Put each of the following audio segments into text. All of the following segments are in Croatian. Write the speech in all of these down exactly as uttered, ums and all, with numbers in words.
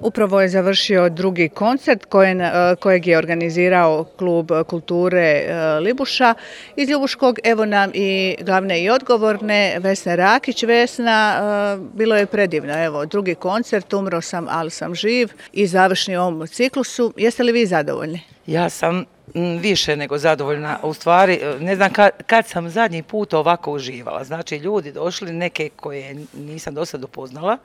Upravo je završio drugi koncert kojeg je organizirao Klub kulture Libuša iz Ljubuškog. Evo nam i glavne i odgovorne, Vesna Rakić. Vesna, bilo je predivno. Evo, drugi koncert, Umro sam, ali sam živ i završni u ovom ciklusu. Jeste li vi zadovoljni? Ja sam više nego zadovoljna. U stvari, ne znam kad, kad sam zadnji put ovako uživala. Znači, ljudi došli, neke koje nisam do sada upoznala,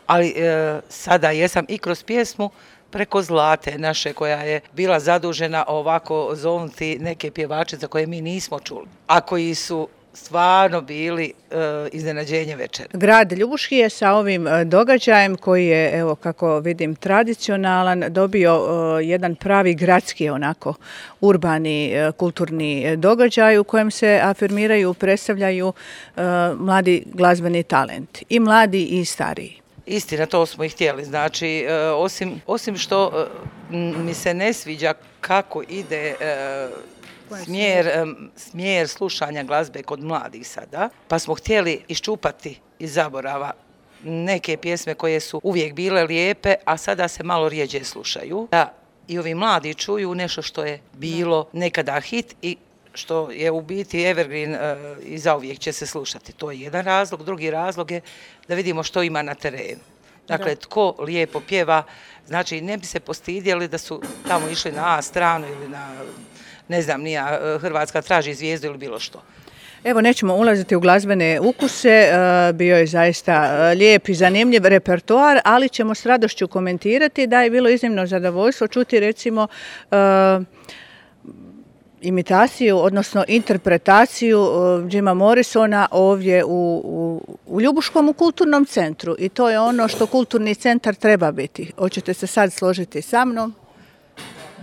ali e, sada jesam i kroz pjesmu preko Zlate naše, koja je bila zadužena ovako zovnuti neke pjevače za koje mi nismo čuli, a koji su stvarno bili e, iznenađenje večera. Grad Ljubuški je sa ovim događajem koji je, evo kako vidim, tradicionalan, dobio e, jedan pravi gradski onako urbani e, kulturni događaj u kojem se afirmiraju, predstavljaju e, mladi glazbeni talent, i mladi i stariji. Istina, to smo i htjeli. Znači, e, osim, osim što e, mi se ne sviđa kako ide e, Smjer, smjer slušanja glazbe kod mladih sada, pa smo htjeli iščupati iz zaborava neke pjesme koje su uvijek bile lijepe, a sada se malo rijeđe slušaju. Da i ovi mladi čuju nešto što je bilo nekada hit i što je u biti evergreen i zauvijek će se slušati. To je jedan razlog. Drugi razlog je da vidimo što ima na terenu. Dakle, tko lijepo pjeva, znači ne bi se postidjeli da su tamo išli na A stranu ili na, ne znam, nija, Hrvatska traži zvijezdu ili bilo što. Evo, nećemo ulaziti u glazbene ukuse, bio je zaista lijep i zanimljiv repertoar, ali ćemo s radošću komentirati da je bilo iznimno zadovoljstvo čuti recimo imitaciju, odnosno interpretaciju Jima Morrisona ovdje u, u, u Ljubuškom u kulturnom centru, i to je ono što kulturni centar treba biti. Hoćete se sad složiti sa mnom?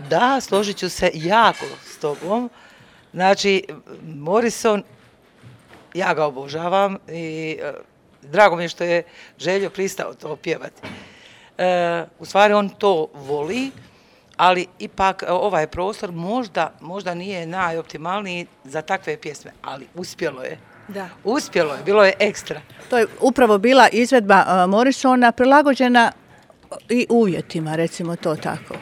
Da, složit ću se jako s tobom. Znači, Morrison, ja ga obožavam i e, drago mi je što je Željo pristao to pjevati. E, u stvari on to voli, ali ipak ovaj prostor možda, možda nije najoptimalniji za takve pjesme, ali uspjelo je. Da. Uspjelo je, bilo je ekstra. To je upravo bila izvedba uh, Morrisona prilagođena i uvjetima, recimo to tako.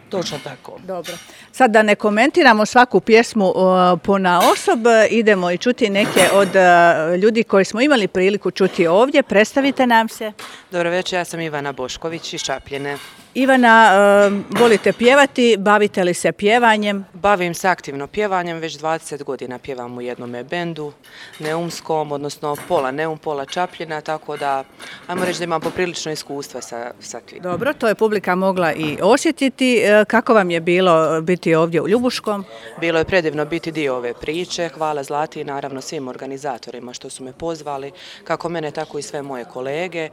Točno tako. Dobro. Sad da ne komentiramo svaku pjesmu uh, ponaosob, idemo i čuti neke od uh, ljudi koji smo imali priliku čuti ovdje. Predstavite nam se. Dobro večer, ja sam Ivana Bošković iz Čapljine. Ivana, uh, volite pjevati, bavite li se pjevanjem? Bavim se aktivno pjevanjem, već dvadeset godina pjevam u jednome bendu, neumskom, odnosno pola Neum, pola Čapljina, tako da, ajmo reći da imam poprilično iskustva sa, sa tim. Dobro, to je publika mogla i osjetiti. Kako vam je bilo biti ovdje u Ljubuškom? Bilo je predivno biti dio ove priče, hvala Zlati i naravno svim organizatorima što su me pozvali, kako mene, tako i sve moje kolege.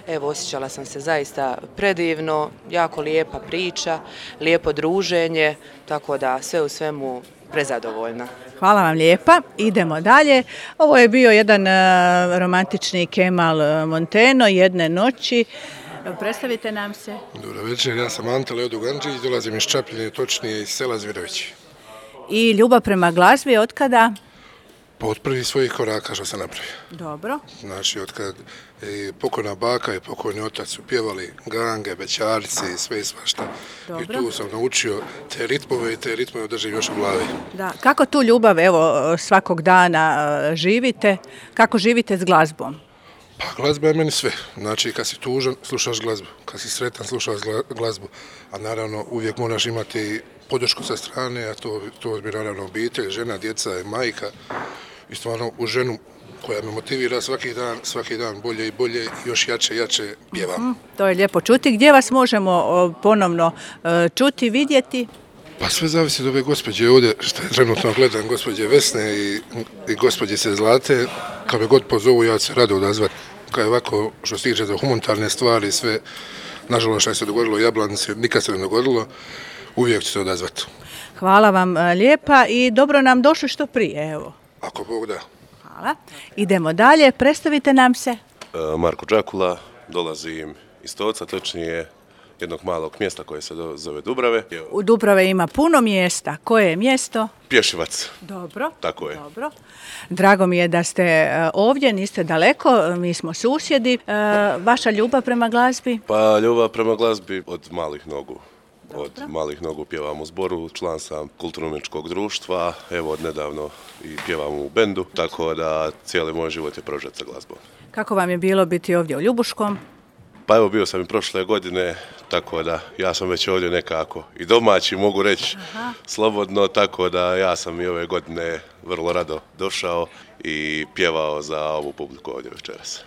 Evo, osjećala sam se zaista predivno, jako lijepa priča, lijepo druženje, tako da sve u svemu prezadovoljna. Hvala vam lijepa. Idemo dalje. Ovo je bio jedan uh, romantični Kemal Monteno, Jedne noći. Predstavite nam se. Dobro večer, ja sam Ante Leo Dugančić, dolazim iz Čapljine, točnije iz sela Zvirovići. I ljubav prema glazbi od kada? Pa od prvih svojih koraka što sam napravio. Dobro. Znači, od kad i pokojna baka i pokojni otac su pjevali gange, bećarice i sve i svašta. Dobro. I tu sam naučio te ritmove i te ritmove držim još u glavi. Da. Kako tu ljubav, evo, svakog dana živite? Kako živite s glazbom? Pa glazba je meni sve. Znači, kad si tužan, slušaš glazbu. Kad si sretan, slušaš glazbu. A naravno, uvijek moraš imati podršku sa strane, a to, to je naravno obitelj, žena, djeca i majka. I stvarno u ženu koja me motivira svaki dan, svaki dan bolje i bolje, još jače, jače pjevam. Mm, to je lijepo čuti. Gdje vas možemo ponovno čuti, vidjeti? Pa sve zavisi od ove gospođe ovdje, što je trenutno gledam, gospođe Vesne i, i gospođe se Zlate. Kad me god pozovu, ja ću se rado odazvati. Kad je ovako, što se tiče za humanitarne stvari, sve, nažalost što se dogodilo u Jablanici, nikad se ne dogodilo, uvijek ću se odazvati. Hvala vam lijepa i dobro nam došli što prije, evo. Ako Bog da. Hvala. Idemo dalje, predstavite nam se. Marko Đakula, dolazim iz Toca, točnije jednog malog mjesta koje se zove Dubrave. U Dubrave ima puno mjesta. Koje je mjesto? Pješivac. Dobro. Tako je. Dobro. Drago mi je da ste ovdje, niste daleko, mi smo susjedi. Vaša ljubav prema glazbi? Pa ljubav prema glazbi od malih nogu. Od malih nogu pjevam u zboru, član sam kulturno-umjetničkog društva, evo od nedavno i pjevam u bendu, tako da cijeli moj život je prožet sa glazbom. Kako vam je bilo biti ovdje u Ljubuškom? Pa evo bio sam i prošle godine, tako da ja sam već ovdje nekako i domaći, mogu reći slobodno, tako da ja sam i ove godine vrlo rado došao i pjevao za ovu publiku ovdje večeras.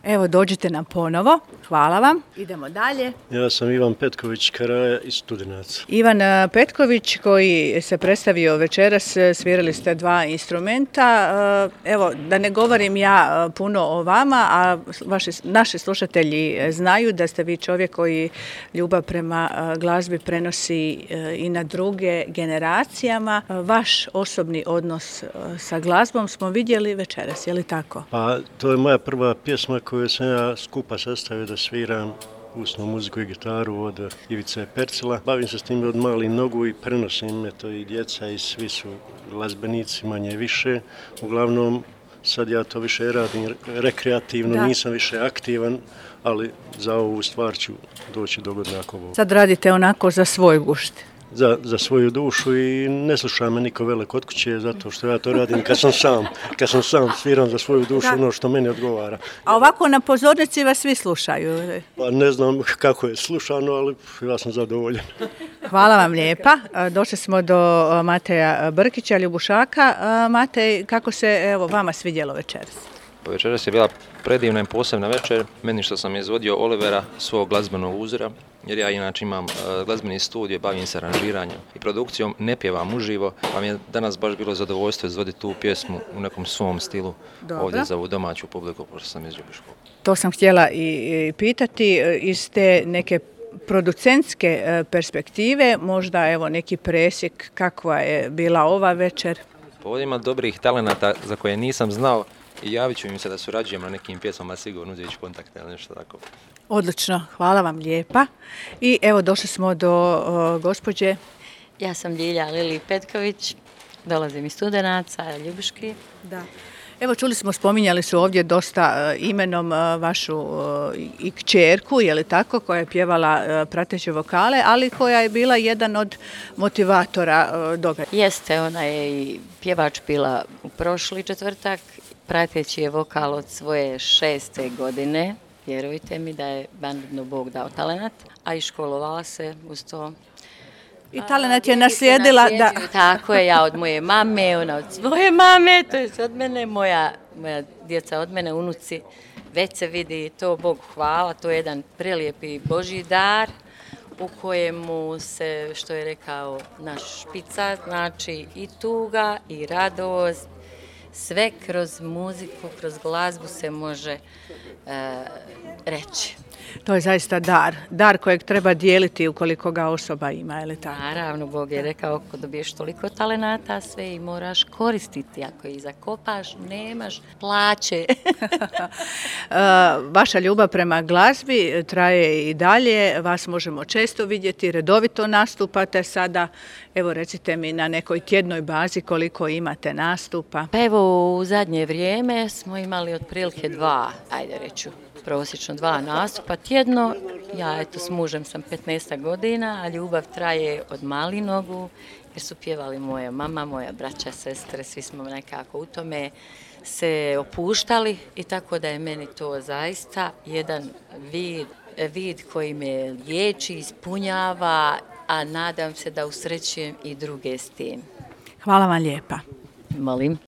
Evo, dođite nam ponovo. Hvala vam. Idemo dalje. Ja sam Ivan Petković Karaja iz Studenaca. Ivan Petković koji se predstavio večeras, svirali ste dva instrumenta. Evo, da ne govorim ja puno o vama, a vaši, naši slušatelji znaju da ste vi čovjek koji ljubav prema glazbi prenosi i na druge generacijama. Vaš osobni odnos sa glazbom smo vidjeli večeras, je li tako? Pa, to je moja prva pjesma koju sam ja skupa sastavio da sviram usnu muziku i gitaru od Ivice Percila. Bavim se s tim od malih nogu i prenosim me to i djeca i svi su glazbenici manje više. Uglavnom sad ja to više radim rekreativno, da. Nisam više aktivan, ali za ovu stvar ću doći dogodno ako ovo. Sad radite onako za svoj gušt. Za, za svoju dušu i ne sluša me niko velik kod kuće zato što ja to radim kad sam sam, kad sam sam sviram za svoju dušu da. Ono što meni odgovara. A ovako na pozornici vas svi slušaju? Pa ne znam kako je slušano, ali ja sam zadovoljan. Hvala vam lijepa. Došli smo do Mateja Brkića, Ljubušaka. Matej, kako se evo vama svidjelo večeras? Pa večeras je bila predivna i posebna večer, meni što sam izvodio Olivera, svog glazbenog uzora, jer ja inače imam uh, glazbeni studio, bavim se aranžiranjem i produkcijom, ne pjevam uživo, pa mi je danas baš bilo zadovoljstvo izvoditi tu pjesmu u nekom svom stilu. Dobro. Ovdje za ovu domaću publiku, pošto sam iz Ljubuškog. To sam htjela i pitati, iz te neke producentske perspektive, možda evo neki presjek kakva je bila ova večer? Pa ovdje ima dobrih talenata za koje nisam znao, i javit ću im se da surađujem na nekim pjesmama, sigurno uzeti kontakte ili nešto tako. Odlično, hvala vam lijepa. I evo došli smo do o, gospođe. Ja sam Ljilja Lili Petković, dolazim iz Studenaca, Ljubuški. Da. Evo čuli smo, spominjali su ovdje dosta uh, imenom uh, vašu uh, i kćerku, je li tako, koja je pjevala uh, prateće vokale, ali koja je bila jedan od motivatora uh, događaja. Jeste, ona je i pjevač bila u prošli četvrtak. Prateći je vokal od svoje šeste godine, vjerujte mi da je bandno Bog dao talenat, a i školovala se uz to. I talenat je naslijedila, da. Tako je, ja od moje mame, ona od svoje mame, to je od mene, moja, moja djeca od mene, unuci, već se vidi to, Bogu hvala, to je jedan prelijepi Božji dar u kojemu se, što je rekao naš špica, znači i tuga i radost, sve kroz muziku, kroz glazbu se može e, reći. To je zaista dar, dar kojeg treba dijeliti ukoliko ga osoba ima, je li tako? Naravno, Bog je rekao, ako dobiješ toliko talenata, sve i moraš koristiti. Ako ih zakopaš, nemaš plaće. Vaša ljubav prema glazbi traje i dalje, vas možemo često vidjeti, redovito nastupate sada. Evo recite mi na nekoj tjednoj bazi koliko imate nastupa. Pa evo u zadnje vrijeme smo imali otprilike dva, ajde reću, prosječno dva nastupa tjedno. Ja eto s mužem sam petnaest godina, a ljubav traje od malih nogu jer su pjevali moja mama, moja braća, sestre, svi smo nekako u tome se opuštali i tako da je meni to zaista jedan vid, vid koji me liječi, ispunjava, a nadam se da usrećujem i druge s tim. Hvala vam lijepa. Molim.